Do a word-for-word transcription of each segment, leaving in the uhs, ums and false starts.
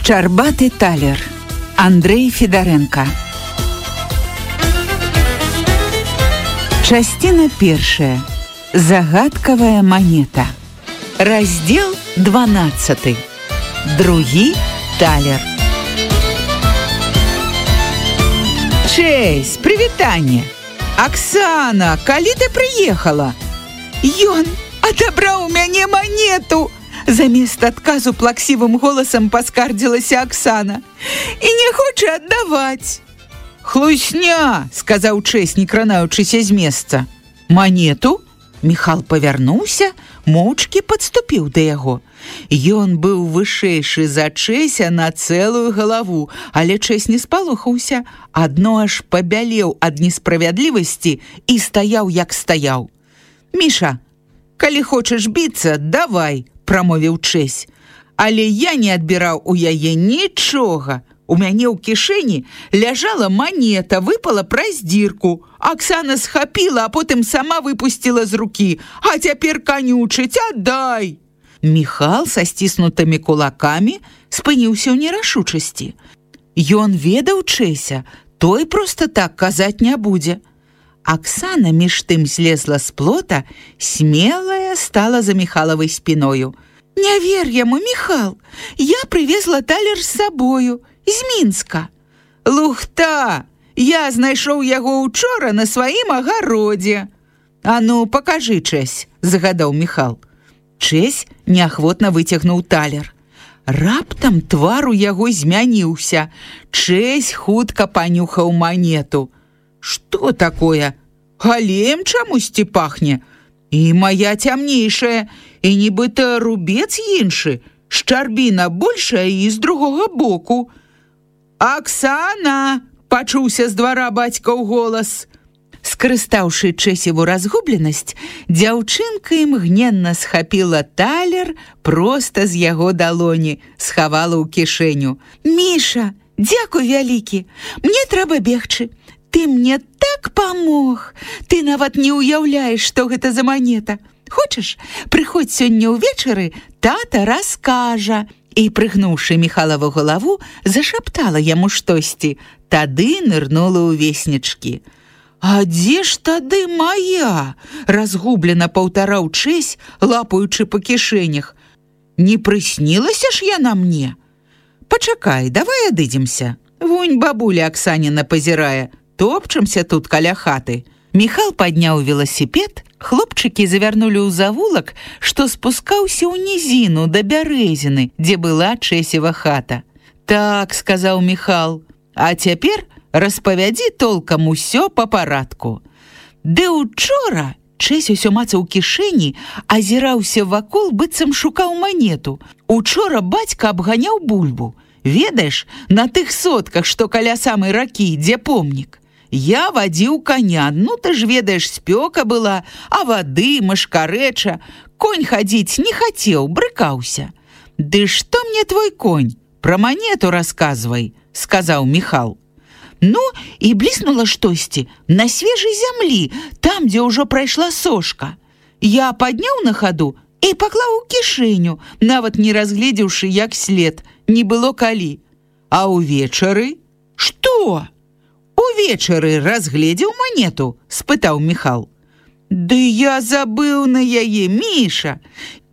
Шчарбаты талер. Андрей Федаренко. Частина першая. Загадкавая монета. Раздел дванаццаты. Другі талер. Чэйс, прывітанне. Оксана, калі ты прыехала? Ён адабраў у мяне монету. Замест адказу плаксівым голасам паскардзілася Оксана. І не хоча аддаваць. Хлусня, сказаў Чэйс, не кранаючыся з месца. Монету? Міхал павярнуўся, моўчкі падступіў да яго. Ён быў вышэйшы за Чэйся на цэлую галаву, але Чэйс не спалохаўся, адно аж пабялеў ад несправядлівасці і стаяў, як стаяў. Міша, калі хочаш біцца, давай, прамовіў Чэйс. Але я не адбіраў у яе нічога. У мяне ў кішэні ляжала монета, выпала праз дзірку. Оксана схапіла, а потым сама выпусціла з рукі. А цяпер канючыць, аддай! Міхал са сціснутымі кулакамі спыніўся ў нерашучасці. Ён ведаў Чэйся, той проста так казаць не будзе. Оксана між тым злезла з плота, смелая стала за Міхалавай спіною. Не вер яму, Міхал, я прывезла талер з сабою, з Мінска. Лухта, я знайшоў яго учора на сваім агародзе. А ну, пакажы, Чэсь, загадаў Міхал. Чэсь неахвотна выцягнуў талер. Раптам твар у яго змяніўся. Чэсь хутка панюхаў монету. Што такое? Галеем чамусьці пахне. І моя цямнейшая, і нібыта рубец іншы, шчарбіна большая і з другога боку. Оксана! Пачуўся з двара бацькаў голас. Скарыстаўшы Чэсеву разгубленасць, дзяўчынка імгненна схапіла талер проста з яго далоні, схавала ў кішэню. Міша, дзякуй вялікі, мне трэба бегчы. Ты мне так памог. Ты нават не ўяўляеш, што гэта за монета. Хочаш, прыходзь сёння ўвечары, тата раскажа. І, прыгнуўшы Міхалаву галаву, зашаптала яму штосьці. Тады нырнула ў веснічкі. А дзе ж тады моя? Разгублена паўтараў Чэсь, лапаючы па кішэнях. Не прыснілася ж яна мне? Пачакай, давай адыдземся. Вунь бабуля Оксаніна пазірае. Топчемся тут каля хаты. Міхал падняў веласіпед, хлопчыкі завярнулі ў завулак, што спускаўся ў нізіну да бярэзіны, дзе была Чэсева хата. Так, сказаў Міхал, а цяпер распавядзі толкам усё па парадку. Ды учора Чэсь усё мацаў кішэні, азіраўся вакол, быццам шукаў монету. Учора бацька абганяў бульбу. Ведаеш, на тых сотках, што каля самай ракі, дзе помнік. Я вадзіў коня, ну ты ж ведаеш, спёка была, а вады, машкарэча. Конь хадзіць не хацеў, брыкаўся. Ды што мне твой конь? Пра монету расказвай, сказаў Міхал. Ну, і бліснула штосьці на свежай зямлі, там, дзе ўжо прайшла сошка. Я падняў на хаду і паклаў у кішэню, нават не разгледзеўшы, як след, не было калі. А ўвечары? Што? Увечары разгледзеў монету? Спытаў Міхал. Ды я забыў на яе, Міша.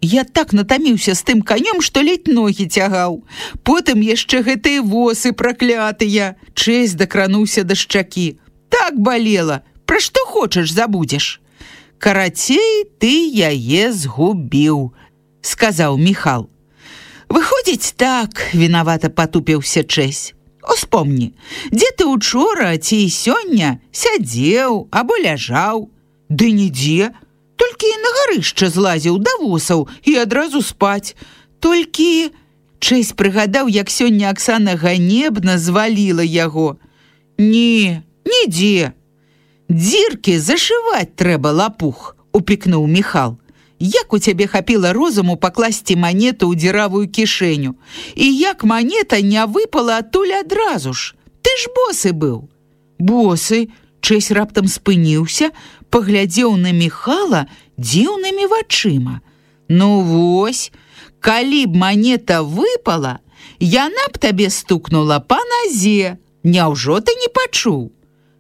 Я так натаміўся з тым канём, што ледь ногі цягаў. Потым яшчэ гэтыя восы праклятыя. Чэсь дакрануўся да шчакі. Так балела. Пра што хочаш, забудзеш. Карацей, ты яе згубіў, сказаў Міхал. Выходзіць так, вінавата патупіўся Чэсь. Успомні, дзе ты учора ці сёння сядзеў або ляжаў? Ды нідзе, толькі на гарышча злазіў да восаў і адразу спаць. Толькі... Чэсь прыгадаў, як сёння Оксана ганебна зваліла яго. Не, нідзе. Дзіркі зашываць трэба, лапух, упікнуў Міхал. Як у цябе хапіла розуму пакласці монету ў дзіравую кішэню? І як монета не выпала адтуль адразу ж? Ты ж босы быў. Босы? Чэсь раптам спыніўся, паглядзеў на Міхала дзіўнымі вачыма. Ну вось, калі б монета выпала, яна б табе стукнула па назе. Няўжо ты не пачуў?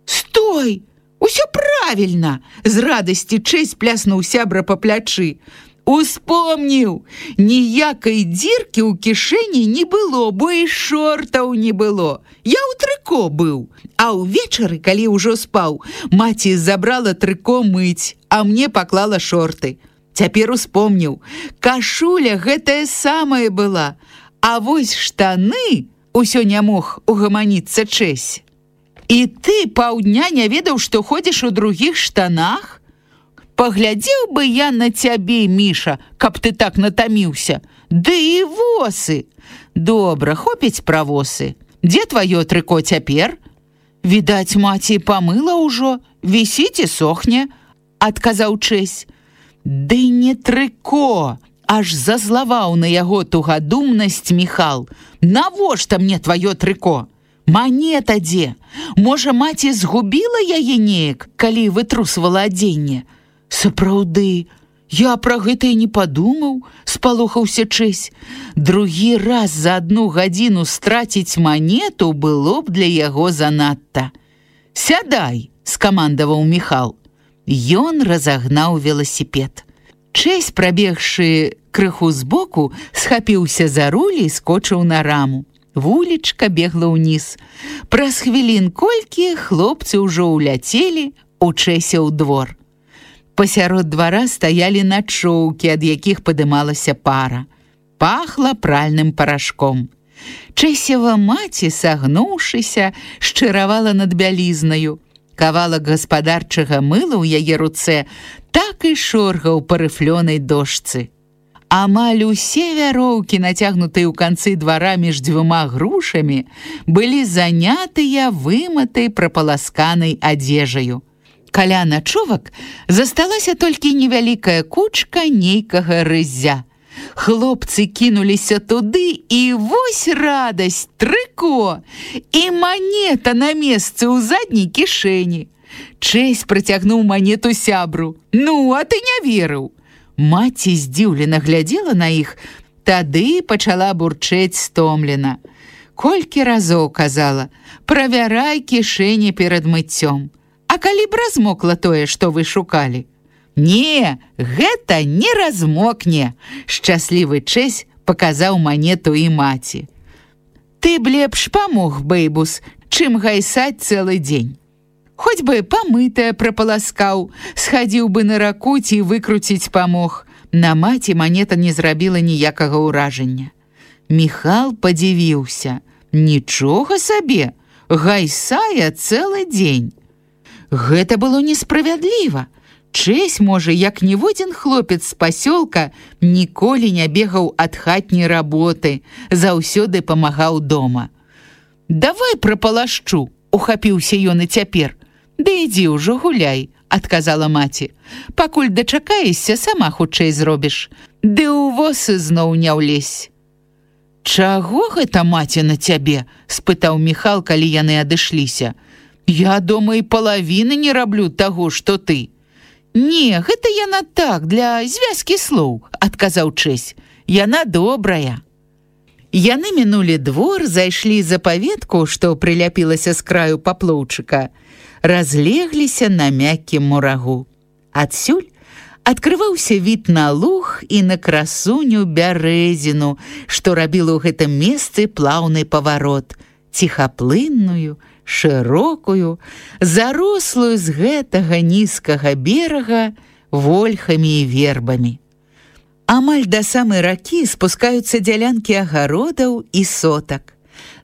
Стой! Усё правільна! З радасці Чэсь пляснуў сябра па плячы. Успомніў! Ніякай дзіркі ў кішэні не было, бо і шортаў не было. Я ў трыко быў. А ўвечары, калі ўжо спаў, маці забрала трыко мыць, а мне паклала шорты. Цяпер успомніў. Кашуля гэтая самая была. А вось штаны... Усё не мог угаманіцца Чэсь. І ты паўдня не ведаў, што ходзіш у другіх штанах? Паглядзеў бы я на цябе, Міша, каб ты так натаміўся. Ды і восы. Добра, хопіць пра восы. Дзе тваё трыко цяпер? Відаць, маці памыла ўжо, вісіць і сохне, адказаў Чэсь. Ды не трыко, аж зазлаваў на яго тугадумнасць Міхал. Навошта мне тваё трыко? Манета дзе? Можа, маці згубіла яе неяк, калі вытрусвала адзенне? Сапраўды, я пра гэта і не падумаў, спалохаўся Чэсь. Другі раз за адну гадзіну страціць манету было б для яго занадта. Сядай, скамандаваў Міхал. Ён разагнаў веласіпед. Чэсь, прабегшы крыху збоку, схапіўся за руль і скочыў на раму. Вулічка бегла ўніз. Праз хвілін колькі хлопцы ўжо ўляцелі у Чэся ў двор. Пасярод двара стаялі начоўкі, ад якіх падымалася пара. Пахла пральным парашком. Чэсева маці, сагнуўшыся, шчыравала над бялізнаю. Кавалак гаспадарчага мыла ў яе руцэ так і шоргаў па рыфлёнай дошцы. Амаль усе вяроўкі, нацягнутыя ў канцы двара між дзвюма грушамі, былі занятыя вымытай прапаласканай адзежаю. Каля начовак засталася толькі невялікая кучка нейкага рыззя. Хлопцы кінуліся туды, і вось радасць, трыко, і манета на месцы ў задняй кішэні. Чэсь працягнуў манету сябру. Ну, а ты не верыў. Маці здзіўлена глядзела на іх, тады пачала бурчэць стомлена. Колькі разоў казала: правярай кішэні перад мыццём. А калі б размокла тое, што вы шукалі? Не, гэта не размокне, шчаслівы Чэсь паказаў манету і маці. Ты б лепш памог, бэйбус, чым гайсаць цэлы дзень. Хоць бы памытая прапаласкаў, схадзіў бы на раку ці выкруціць памог. На маці манета не зрабіла ніякага ўражання. Міхал падзівіўся. Нічога сабе, гайсае цэлы дзень. Гэта было несправядліва. Чэсь, можа, як ніводзін хлопец з пасёлка, ніколі не бегаў ад хатняй работы, заўсёды памагаў дома. Давай прапалашчу, ухапіўся ён і цяпер. Да ідзі ўжо гуляй, адказала маці. Пакуль дачакаешся, сама хутчэй зробіш. Ды ў восы зноў не ўлезь. Чаго гэта маці на цябе? Спытаў Міхал, калі яны адышліся. Я дома і палавіны не раблю таго, што ты. Не, гэта яна так, для звязкі слоў, адказаў Чэсь. Яна добрая. Яны мінулі двор, зайшлі за паветку, што прыляпілася з краю паплоўчыка, разлегліся на мяккім мурагу. Адсюль адкрываўся від на луг і на красуню бярэзіну, што рабіла ў гэтым месцы плаўны паварот, ціхаплынную, шырокую, зарослую з гэтага нізкага берага вольхамі і вербамі. Амаль да самай ракі спускаюцца дзялянкі агародаў і сотак.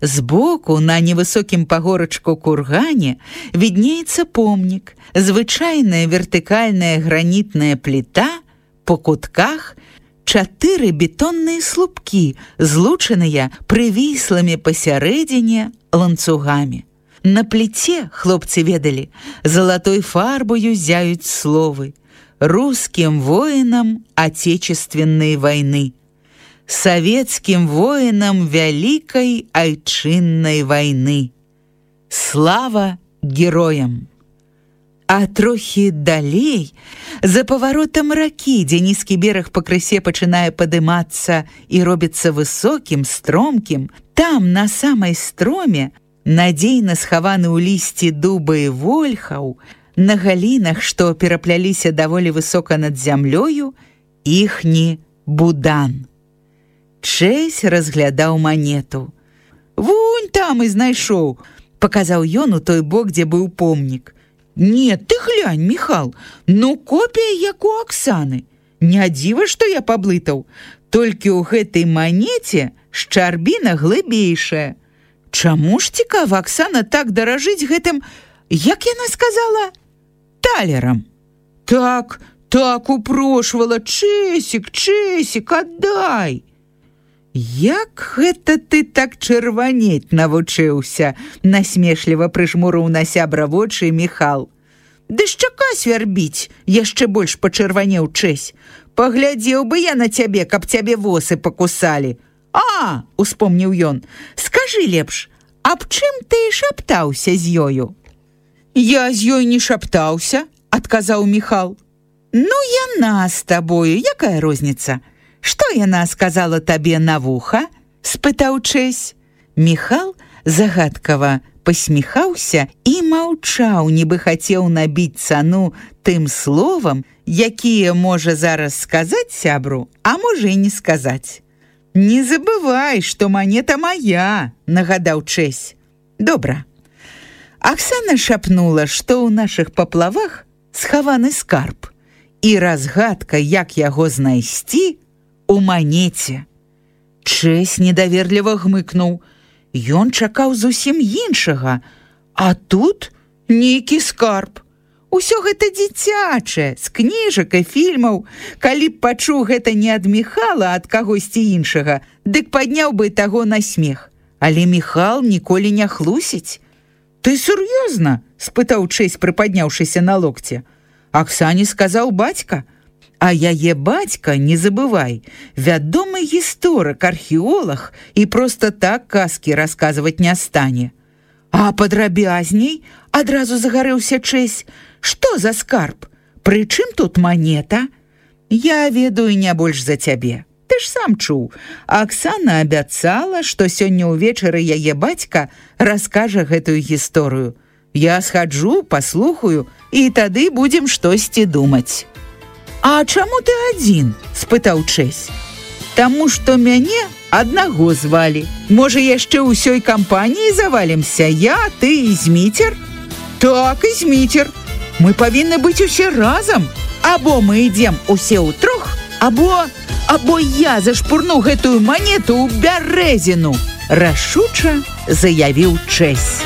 Збоку на невысокім пагорачку кургане віднеецца помнік, звычайная вертыкальная гранітная пліта, по кутках чатыры бетонныя слупкі, злучаныя прывіслымі пасярэдзіне ланцугамі. На пліце, хлопцы ведалі, залатой фарбою зяюць словы: русским воинам Отечественной войны, советским воинам Великой Айчинной войны. Слава героям! А трохі далей, за паваротам ракі, дзе нізкі бераг пакрысе пачынае падымацца і робіцца высокім, стромкім, там, на самай строме, надзейна схаваны ў лісці дуба і вольхаў, на галінах, што перапляліся даволі высока над зямлёю, іхні будан. Чэсь разглядаў манету. «Вунь там і знайшоў», — паказаў ён у той бок, дзе быў помнік. «Не, ты глянь, Міхал, ну копія як у Аксаны. Не дзіва, што я паблытаў. Толькі ў гэтай манеце шчарбіна глыбейшая. Чаму ж цікава Аксана так даражыць гэтым, як яна сказала, талерам?» «Так, так упрошвала, Чэсік, Чэсік, аддай!» «Як гэта ты так чырванець навучыўся?» — насмешліва прыжмурыў на сябра вочы Міхал. «Ды шчака свярбіць!» — яшчэ больш пачырванеў Чэсь. «Паглядзеў бы я на цябе, каб цябе восы пакусалі!» «А!» — успомніў ён. «Скажы лепш, аб чым ты шаптаўся з ёю?» «Я з ёй не шаптаўся», — адказаў Міхал. «Ну, яна з табою, якая розніца? Што яна сказала табе на вуха?» — спытаў Чэсь. Міхал загадкава пасміхаўся і маўчаў, нібы хацеў набіць цану тым словам, якія можа зараз сказаць сябру, а можа і не сказаць. «Не забывай, што манета мая», — нагадаў Чэсь. «Добра». Аксана шапнула, што ў нашых паплавах схаваны скарб, і разгадка, як яго знайсці, у манеце. Чэсь недаверліва гмыкнуў. Ён чакаў зусім іншага, а тут нейкі скарб. Усё гэта дзіцячае, з кніжак і фільмаў. Калі б пачуў гэта не ад Міхала, а ад кагосьці іншага, дык падняў бы таго на смех. Але Міхал ніколі не хлусіць. «Ты сур'ёзна?» — спытаў Чэсь, прыпадняўшыся на локце. Аксане сказаў бацька. А яе бацька, не забывай, вядомы гісторык, археолог і проста так казкі расказваць не стане. А падрабязней, адразу загарэўся Чэсь, што за скарб? Прычым тут манета? Я ведаю не больш за цябе. Ты ж сам чуў. Аксана абяцала, што сёння ўвечары яе бацька раскажа гэтую гісторыю. Я схаджу, паслухаю, і тады будзем штосьці думаць. «А чаму ты адзін?» — спытаў Чэсь. «Таму што мяне аднаго звалі. Можа, яшчэ ўсёй кампаніі завалімся? Я, ты і Зміцер?» «Так, і Зміцер. Мы павінны быць усе разам. Або мы ідзем усе ўтрох, або... або я зашпурну гэтую манету ў бярэзіну!» — рашуча заявіў Чэсь.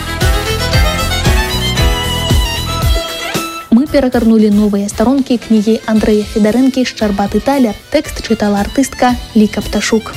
Мы перагорнули новыя старонкі кнігі Андрэя Федарэнкі «Шчарбаты талер». Тэкст чытала артыстка Ліка Пташук.